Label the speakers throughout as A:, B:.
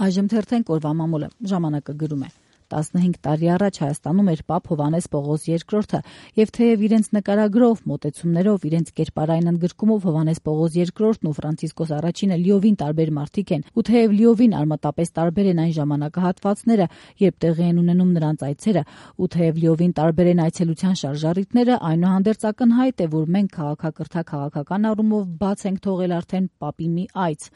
A: Այժմ թերթենք օրվա մամուլը, ժամանակը գրում է. 15 տարի առաջ Հայաստանում էր Պապ Հովհաննես Պողոս II եւ թեև իրենց նկարագրով, մոտեցումներով, իրենց կերպարային ընդգրկումով Հովհաննես Պողոս II-ն ու Ֆրանցիսկոս I-ը լիովին տարբեր մարդիկ են, ու թեև լիովին արմատապես տարբեր են այն ժամանակահատվածները, երբ տեղի են ունենում նրանց այցերը, ու թեև լիովին տարբեր են այցելության շարժառիթները, այնուհանդերձ ակնհայտ է, որ մենք քաղաքակրթա-քաղաքական առումով բաց ենք թողել արդեն Պապի մի այց,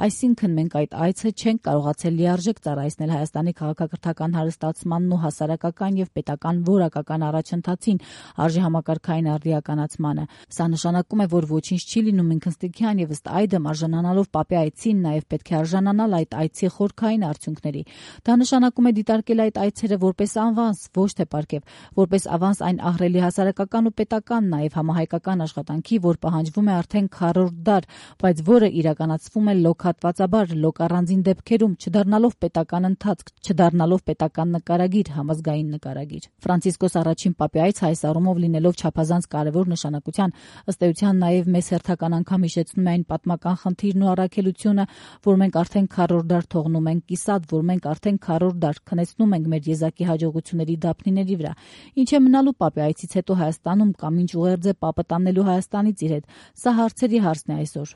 A: այսինքն մենք այդ այցը չենք կարողացել լիարժեք ծառայեցնել Հայաստանի քաղաքակրթական հարստացմանն ու հասարակական եւ պետական որակական առաջընթացին, արժի համակարգային արդիականացմանը։ Սա նշանակում է, որ ոչինչ չի լինում ինքնստիքյան եւ ըստ այդմ արժանանալով Պապի այցին նաեւ պետք է արժանանալ այդ այցի խորքային արդյունքների։ Դա նշանակում է դիտարկել այդ այցերը որպես ավանս, ոչ թե պարգև, որպես ավանս այն ահռելի հասարակական ու պետական, նաեւ համահայկական աշխատանքի, որ պահանջվում է արդեն քառորդ դար, բայց որը իրականացվում է լոկ-հատվածաբար, լոկ-առանձին դեպքերում, չդառնալով պետական ընթացք, չդառնալով պետական նկարագիր, համազգային նկարագիր։ Ֆրանցիսկոս I Պապի այցը այս առումով լինելով չափազանց կարևոր նշանակության, ըստ էության նաև մեզ հերթական անգամ հիշեցնում է այն պատմական խնդիրն ու առաքելությունը, որ մենք արդեն քառորդ դար թողնում ենք կիսատ, որ մենք արդեն քառորդ դար քնեցնում ենք մեր եզակի հաջողությունների դափնիների վրա։ Ինչ է մնալու Պապի այցից հետո Հայաստանում կամ ինչ ուղերձ է Պապը տանելու Հայաստանից իր հետ։ Սա հարցերի հարցն է այսօր։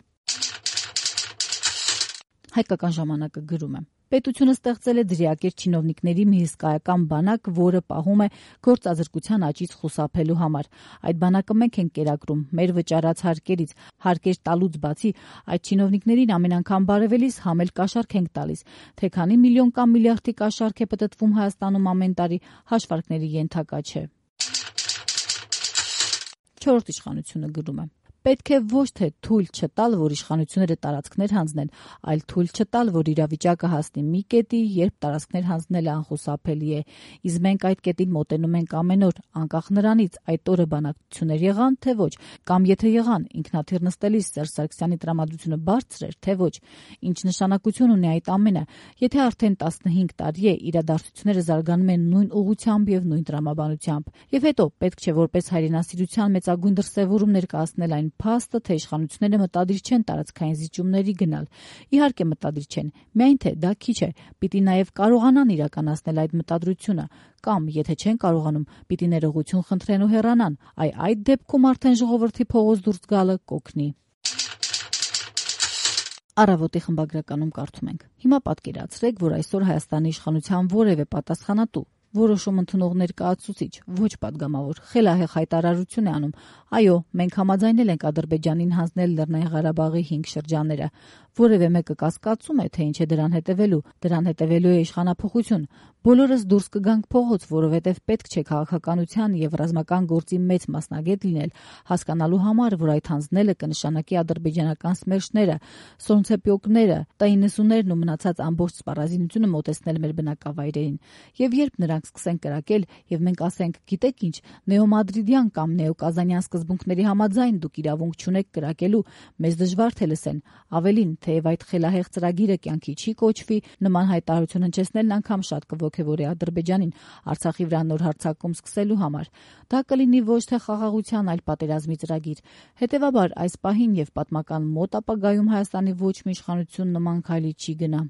A: Հայկական ժամանակը գրում է. Պետությունը ստեղծել է դրիակեր չինովնիկների մի հսկայական բանակ, որը պահում է գործազրկության աճից խուսափելու համար։ Այդ բանակը մենք ենք կերակրում մեր վճարած հարկերից, հարկեր տալուց բացի, այդ չինովնիկներին ամեն անգամ բարևելիս համել կաշառք ենք տալիս, թե քանի միլիոն կամ միլիարդի կաշառք է պտտվում Հայաստանում ամեն տարի, հաշվարկների ենթակա չէ։ Չորրորդ իշխանությունը գրում է. Պետք է ոչ թե թույլ չտալ, որ իշխանությունները տարածքներ հանձնեն, այլ թույլ չտալ, որ իրավիճակը հասնի մի կետի, երբ տարածքներ հանձնելը անխուսափելի է։ Իսկ մենք այդ կետին մոտենում ենք ամեն օր, անկախ նրանից այդ օրը բանակցություններ եղան, թե ոչ, կամ եթե եղան, ինքնաթիռ նստելիս Սերժ Սարգսյանի տրամադրությունը բարձր էր, թե ոչ։ Ինչ նշանակություն ունի այդ ամենը, եթե արդեն 15 տարի է իրադարձությունները զարգանում են նույն ուղղությամբ եւ նույն տրամաբանությամբ։ Եվ հետո պետք չէ որպես հայրենասիրության մեծագույն դրսևորում ներկայացնել այն փաստը, թե իշխանությունները մտադիր չեն տարածքային զիջումների գնալ։ Իհարկե մտադիր չեն, միայն թե դա քիչ է, պիտի նաև կարողանան իրականացնել այդ մտադրությունը, կամ եթե չեն կարողանում, պիտի ներողություն խնդրեն ու հեռանան, այդ դեպքում արդեն ժողովրդի փողոց դուրս գալը կօգնի։ Առավոտի խմբագրականում կարդում ենք. Հիմա պատկերացրեք, որ այսօր Հայաստանի իշխանության որևէ պատասխանատու որոշում ընդունող ներկայացուցիչ, ոչ падգամավոր, խելահեղ հայտարարություն է անում. այո, մենք համաձայնել ենք Ադրբեջանին հանձնել Լեռնային Ղարաբաղի 5 շրջանները։ Որևէ մեկը կասկածում է, թե ինչ է դրան հետևելու։ Դրան հետևելու է իշխանափոխություն։ Բոլորս դուրս կգանք փողոց, որովհետև պետք չէ քաղաքականության եւ ռազմական գործի մեծ մասնագետ լինել, հասկանալու համար, որ այդ հանձնելը կնշանակի ադրբեջանական սմերշները, սոնցեպյոկները, T-90-ներն ու մնացած ամբողջ սպառազինությունը մոտեցնել մեր բնակավայրերին։ Եվ երբ նրանք սկսեն կրակել, եւ մենք ասենք, գիտեք ինչ, նեոմադրիդյան կամ նեոկազանյան սկզբունքների համաձայն դուք իրավունք չունեք կրակելու, մեզ դժվար թե լսեն։ Ավելին, թեև այդ խելահեղ ծրագիրը կյանքի չի կոչվի, նման հայտարարություն հնչեցնելն անգամ շատ կոգևորի Ադրբեջանին Արցախի վրա նոր հարձակում սկսելու համար։ Դա կլինի ոչ թե խաղաղության, այլ պատերազմի ծրագիր։ Հետևաբար այս պահին եւ պատմական մոտ ապագայում Հայաստանի ոչ մի իշխանություն նման քայլի չի գնա։